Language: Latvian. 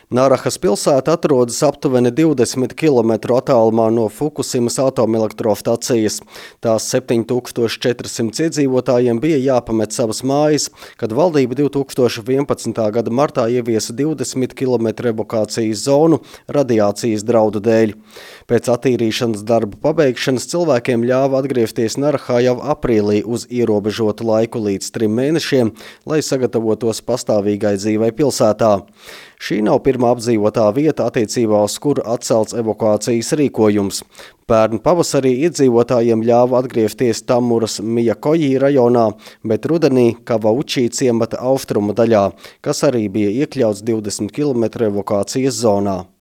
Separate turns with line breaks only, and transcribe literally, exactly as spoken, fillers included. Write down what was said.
Narahas pilsēta atrodas aptuveni divdesmit kilometru attālumā no Fukusimas atomelektrostacijas. Tās septiņi tūkstoši četri simti iedzīvotājiem bija jāpamet savas mājas, kad valdība divi tūkstoši vienpadsmitā gada martā ieviesa divdesmit kilometru evakuācijas zonu radiācijas draudu dēļ. Pēc attīrīšanas darbu pabeigšanas cilvēkiem ļāva atgriezties Narahā jau aprīlī uz ierobežotu laiku līdz trim mēnešiem, lai sagatavotos pastāvīgai dzīvei pilsētā. Šī nav pirmā apdzīvotā vieta, attiecībā uz kuru atcelts evakuācijas rīkojums. Pērn pavasarī iedzīvotājiem ļāva atgriezties Tamuras Mijakojī rajonā, bet rudenī Kavaučī ciemata austrumu daļā, kas arī bija iekļauts divdesmit kilometru evakuācijas zonā.